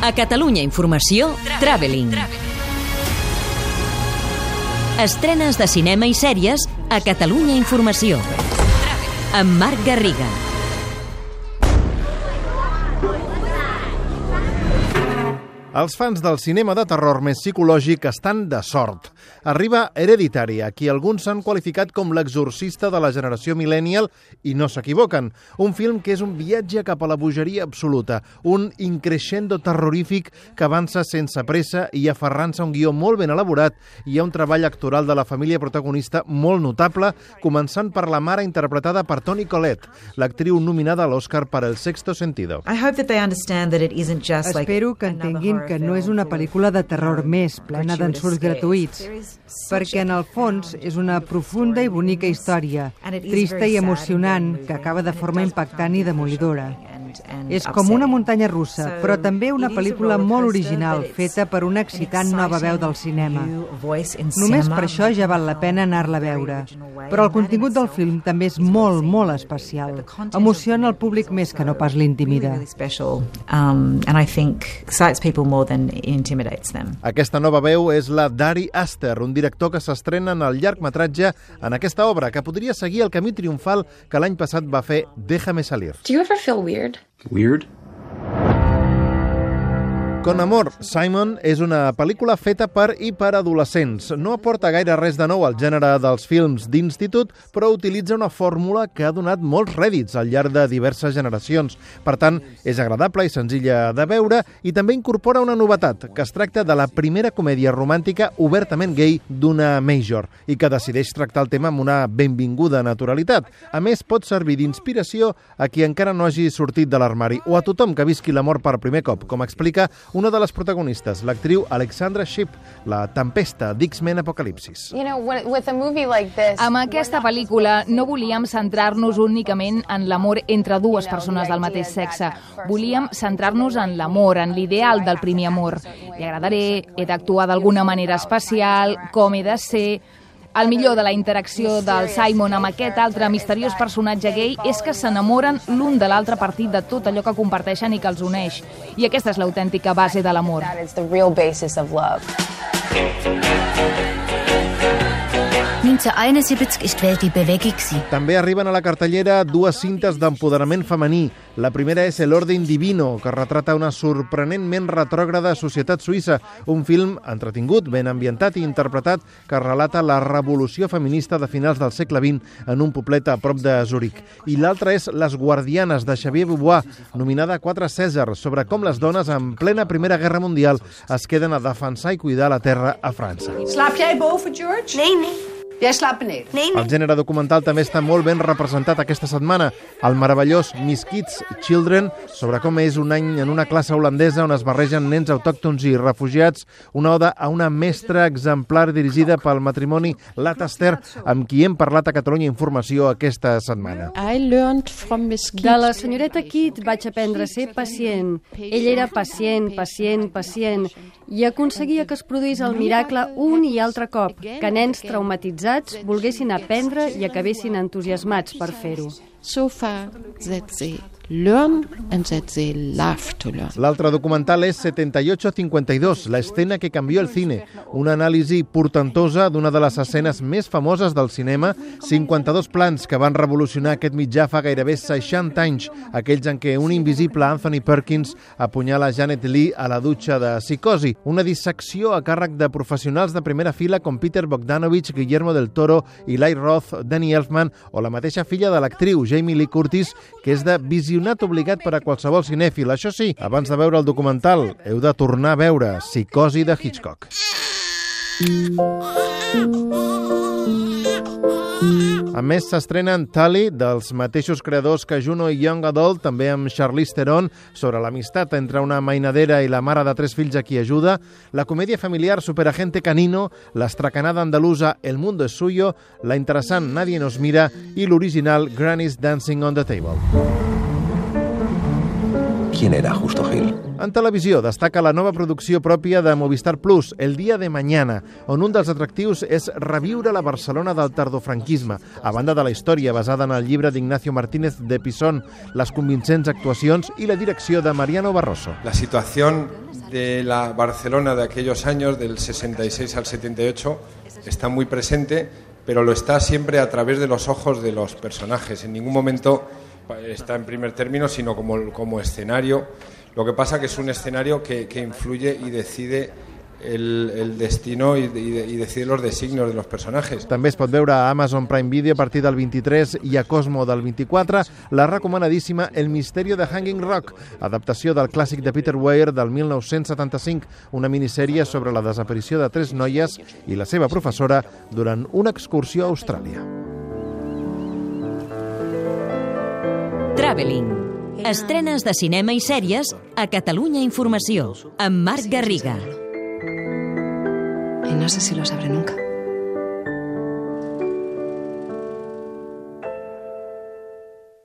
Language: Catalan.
A Catalunya Informació, Traveling. Estrenes de cinema i sèries a Catalunya Informació. Amb Marc Garriga. Els fans del cinema de terror més psicològic estan de sort. Arriba Hereditary, a qui alguns s'han qualificat com l'exorcista de la generació millennial, i no s'equivoquen. Un film que és un viatge cap a la bogeria absoluta, un increscendo terrorífic que avança sense pressa i aferrant-se a un guió molt ben elaborat. Hi ha un treball actoral de la família protagonista molt notable, començant per la mare interpretada per Toni Collette, l'actriu nominada a l'Oscar per El sexto sentido. Espero que entenguin que no és una pel·lícula de terror més, plena d'ensurts gratuïts, perquè en el fons és una profunda i bonica història, trista i emocionant, que acaba de forma impactant i demolidora. És com una muntanya russa, però també una pel·lícula molt original, feta per una excitant nova veu del cinema. Només per això ja val la pena anar-la a veure. Però el contingut del film també és molt, molt especial. Emociona el públic més que no pas l'intimida. Aquesta nova veu és la d'Ari Aster, un director que s'estrena en el llargmetratge en aquesta obra, que podria seguir el camí triomfal que l'any passat va fer Déjame salir. Do you ever feel weird? Weird? Con amor, Simon és una pel·lícula feta per i per adolescents. No aporta gaire res de nou al gènere dels films d'institut, però utilitza una fórmula que ha donat molts rèdits al llarg de diverses generacions. Per tant, és agradable i senzilla de veure i també incorpora una novetat, que es tracta de la primera comèdia romàntica obertament gay d'una major i que decideix tractar el tema amb una benvinguda naturalitat. A més, pot servir d'inspiració a qui encara no hagi sortit de l'armari o a tothom que visqui l'amor per primer cop, com explica una de les protagonistes, l'actriu Alexandra Shipp, la tempesta d'X-Men Apocalipsis. Amb aquesta pel·lícula no volíem centrar-nos únicament en l'amor entre dues persones del mateix sexe. Volíem centrar-nos en l'amor, en l'ideal del primer amor. Li agradaré, he d'actuar d'alguna manera especial, com he de ser. El millor de la interacció del Simon amb aquest altre misteriós personatge gay és que s'enamoren l'un de l'altre a partir de tot allò que comparteixen i que els uneix. I aquesta és l'autèntica base de l'amor. També arriben a la cartellera dues cintes d'empoderament femení. La primera és El orden divino, que retrata una sorprenentment retrògrada societat suïssa, un film entretingut, ben ambientat i interpretat que relata la revolució feminista de finals del segle XX en un poblet a prop de Zurich. I l'altra és Les guardianes, de Xavier Beauvoir, nominada a 4 Cèsars, sobre com les dones en plena Primera Guerra Mundial es queden a defensar i cuidar la terra a França. Slaap jij boven, George? Nee. Jij slaapt beneden? Nee. El gènere documental també està molt ben representat aquesta setmana. El meravellós Miss Kids Children, sobre com és un any en una classe holandesa on es barregen nens autòctons i refugiats, una oda a una mestra exemplar dirigida pel matrimoni Lataster, amb qui hem parlat a Catalunya Informació aquesta setmana. De la senyoreta Kidd vaig aprendre a ser pacient. Ella era pacient i aconseguia que es produís el miracle un i altre cop, que nens traumatitzats volguessin aprendre i acabessin entusiasmats per fer-ho. L'altre documental és 7852, la escena que cambió el cine, una anàlisi portentosa d'una de les escenes més famoses del cinema, 52 plans que van revolucionar aquest mitjà fa gairebé 60 anys, aquells en què un invisible Anthony Perkins apunyala Janet Leigh a la dutxa de Psicosi, una dissecció a càrrec de professionals de primera fila com Peter Bogdanovich, Guillermo del Toro, Eli Roth, Danny Elfman o la mateixa filla de l'actriu, Jamie Lee Curtis, que és de visionat obligat per a qualsevol cinèfil. Això sí, abans de veure el documental, heu de tornar a veure Psicosi de Hitchcock. A més, s'estrenen Tully, dels mateixos creadors que Juno i Young Adult, també amb Charlize Theron, sobre l'amistat entre una mainadera i la mare de 3 fills a qui ajuda, la comèdia familiar Superagente Canino, l'estracanada andalusa El mundo es suyo, la interessant Nadie nos mira i l'original Granny's Dancing on the Table. quién era Justo Gil. En televisió destaca la nova producció pròpia de Movistar Plus, El día de mañana, on un dels atractius és reviure la Barcelona del tardofranquisme, a banda de la història basada en el llibre d'Ignacio Martínez de Pisón, les convincents actuacions i la direcció de Mariano Barroso. La situación de la Barcelona de aquellos años, del 66 al 78, está muy presente, pero lo está siempre a través de los ojos de los personajes. En ningún momento está en primer término, sino como escenario. Lo que pasa que es un escenario que influye y decide el destino y decide los designios de los personajes. També es pot veure a Amazon Prime Video a partir del 23 i a Cosmo del 24 la recomanadíssima El misterio de Hanging Rock, adaptació del clàssic de Peter Weir del 1975, una minissèrie sobre la desaparició de 3 noies i la seva professora durant una excursió a Austràlia. Traveling. Estrenes de cinema i sèries a Catalunya Informació, amb Marc Garriga. Y no sé si lo sabré nunca.